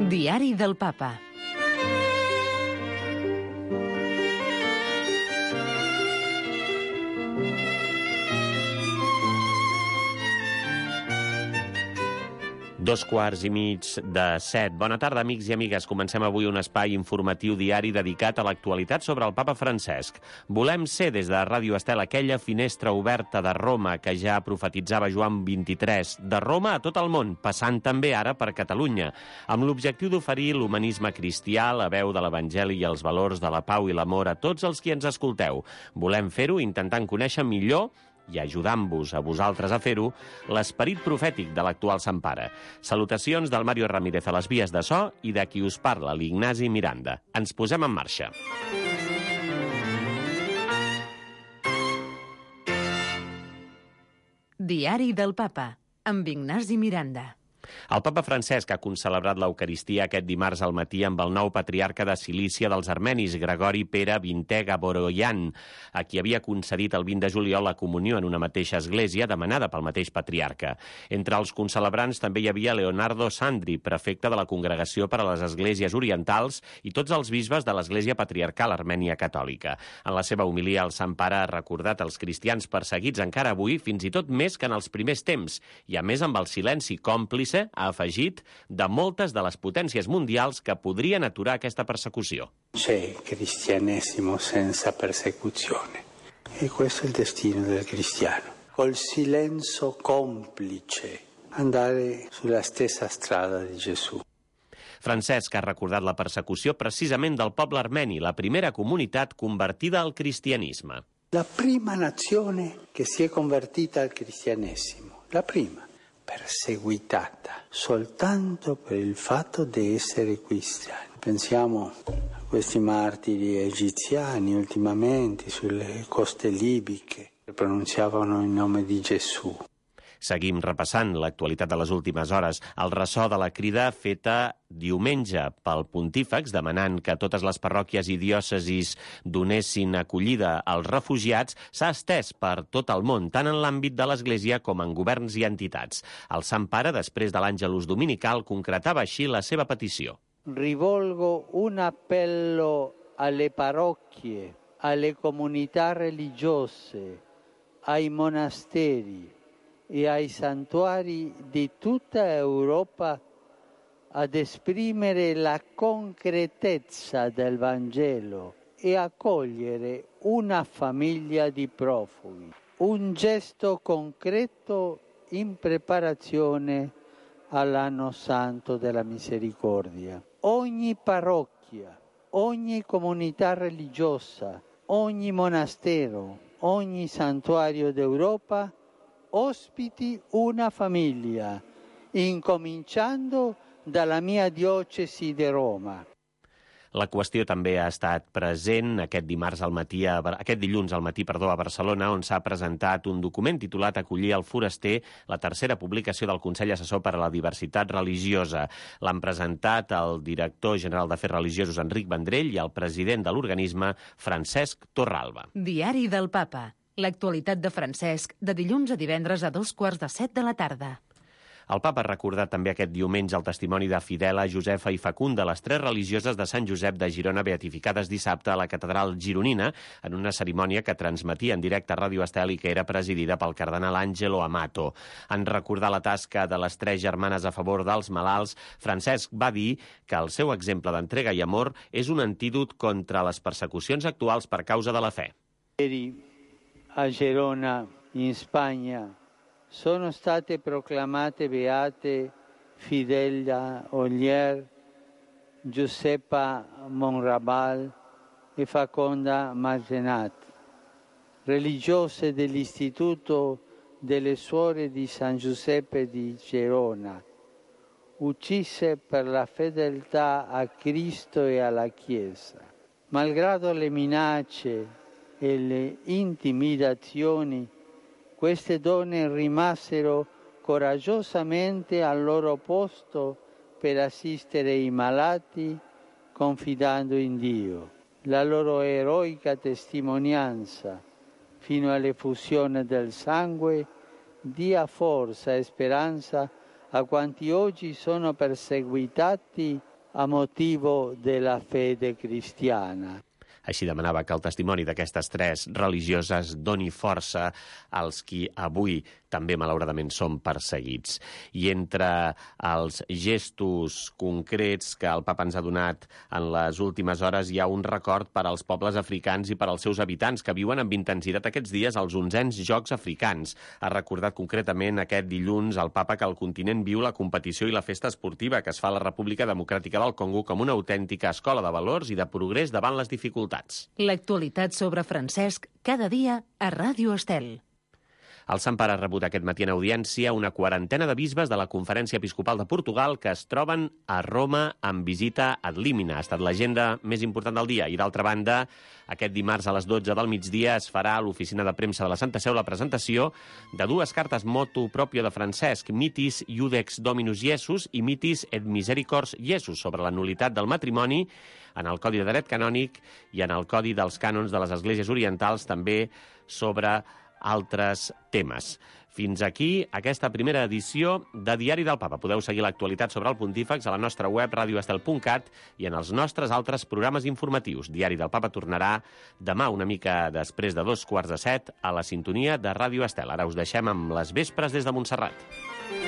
Diari del Papa. Dos quarts i mig de 7. Bona tarda, amics i amigues. Comencem avui un espai informatiu diari dedicat a l'actualitat sobre el papa Francesc. Volem ser, des de Ràdio Estel, aquella finestra oberta de Roma que ja profetitzava Joan XXIII, de Roma a tot el món, passant també ara per Catalunya, amb l'objectiu d'oferir l'humanisme cristià, la veu de l'Evangeli i els valors de la pau i l'amor a tots els qui ens escolteu. Volem fer-ho intentant conèixer millor i ajudant-vos a vosaltres a fer-ho, l'esperit profètic de l'actual Sant Pare. Salutacions del Mario Ramírez a les vies de so i de qui us parla, l'Ignasi Miranda. Ens posem en marxa. Diari del Papa, amb Ignasi Miranda. El papa Francesc ha concelebrat l'Eucaristia aquest dimarts al matí amb el nou patriarca de Cilícia dels armenis, Gregori Pere XX Gaboroian, a qui havia concedit el 20 de juliol la comunió en una mateixa església demanada pel mateix patriarca. Entre els concelebrants també hi havia Leonardo Sandri, prefecte de la Congregació per a les Esglésies Orientals, i tots els bisbes de l'Església Patriarcal Armènia Catòlica. En la seva homilia, el Sant Pare ha recordat els cristians perseguits encara avui, fins i tot més que en els primers temps, i a més amb el silenci còmplice, ha afegit, de moltes de les potències mundials que podrien aturar aquesta persecució. C'è cristianesimo senza persecuzione. E questo è il destino del cristiano. Col silenzio complice andare sulla stessa strada di Gesù. Francesc ha recordat la persecució precisament del poble armeni, la primera comunitat convertida al cristianisme. La prima nazione che si è convertita al cristianesimo, la prima. Perseguitata soltanto per il fatto di essere cristiani. Pensiamo a questi martiri egiziani ultimamente sulle coste libiche che pronunziavano il nome di Gesù. Seguim repassant l'actualitat de les últimes hores. El ressò de la crida feta diumenge pel pontífex demanant que totes les parròquies i diòcesis donessin acollida als refugiats s'ha estès per tot el món, tant en l'àmbit de l'Església com en governs i entitats. El Sant Pare, després de l'Àngelus dominical, concretava així la seva petició. Rivolgo un appello alle parrocchie, alle comunità religiose, ai monasteri e ai santuari di tutta Europa ad esprimere la concretezza del Vangelo e accogliere una famiglia di profughi. Un gesto concreto in preparazione all'anno santo della misericordia. Ogni parrocchia, ogni comunità religiosa, ogni monastero, ogni santuario d'Europa ospiti una famiglia, incominciando dalla mia diocesi di Roma. La qüestió també ha estat present aquest dilluns al matí a Barcelona, on s'ha presentat un document titulat Acollir el foraster, la tercera publicació del Consell Assessor per a la Diversitat Religiosa. L'han presentat el director general d'Afers Religiosos, Enric Vendrell, i el president de l'organisme, Francesc Torralba. Diari del Papa. L'actualitat de Francesc, de dilluns a divendres a 2:15 de la tarda. El papa ha recordat també aquest diumenge el testimoni de Fidela, Josefa i Facunda, les tres religioses de Sant Josep de Girona beatificades dissabte a la catedral gironina, en una cerimònia que transmetia en directe a Ràdio Estel i que era presidida pel cardenal Angelo Amato. En recordar la tasca de les tres germanes a favor dels malalts, Francesc va dir que el seu exemple d'entrega i amor és un antídot contra les persecucions actuals per causa de la fe. A Gerona, in Spagna, sono state proclamate beate Fidela Ollier, Giuseppa Monrabal e Faconda Margenat, religiose dell'Istituto delle Suore di San Giuseppe di Gerona, uccise per la fedeltà a Cristo e alla Chiesa. Malgrado le minacce e le intimidazioni, queste donne rimasero coraggiosamente al loro posto per assistere i malati, confidando in Dio. La loro eroica testimonianza fino all'effusione del sangue dia forza e speranza a quanti oggi sono perseguitati a motivo della fede cristiana. Així demanava que el testimoni d'aquestes 3 religioses doni força als qui avui també malauradament són perseguits. I entre els gestos concrets que el papa ens ha donat en les últimes hores hi ha un record per als pobles africans i per als seus habitants que viuen amb intensitat aquests dies els 11ens Jocs Africans. Ha recordat concretament aquest dilluns el papa que el continent viu la competició i la festa esportiva que es fa a la República Democràtica del Congo com una autèntica escola de valors i de progrés davant les dificultats. L'actualitat sobre Francesc cada dia a Ràdio Estel. El Sant Pare ha rebut aquest matí en audiència una quarantena de bisbes de la Conferència Episcopal de Portugal que es troben a Roma amb visita ad limina. Ha estat l'agenda més important del dia. I d'altra banda, aquest dimarts a les 12 del migdia es farà a l'oficina de premsa de la Santa Seu la presentació de 2 cartes motu proprio de Francesc, Mitis Iudex Dominus Iesus i Mitis et Misericors Iesus, sobre la nul·litat del matrimoni en el Codi de Dret Canònic i en el Codi dels Cànons de les Esglésies Orientals, també sobre altres temes. Fins aquí aquesta primera edició de Diari del Papa. Podeu seguir l'actualitat sobre el Pontífex a la nostra web radioestel.cat i en els nostres altres programes informatius. Diari del Papa tornarà demà una mica després de 7:15 a la sintonia de Ràdio Estel. Ara us deixem amb les vespres des de Montserrat.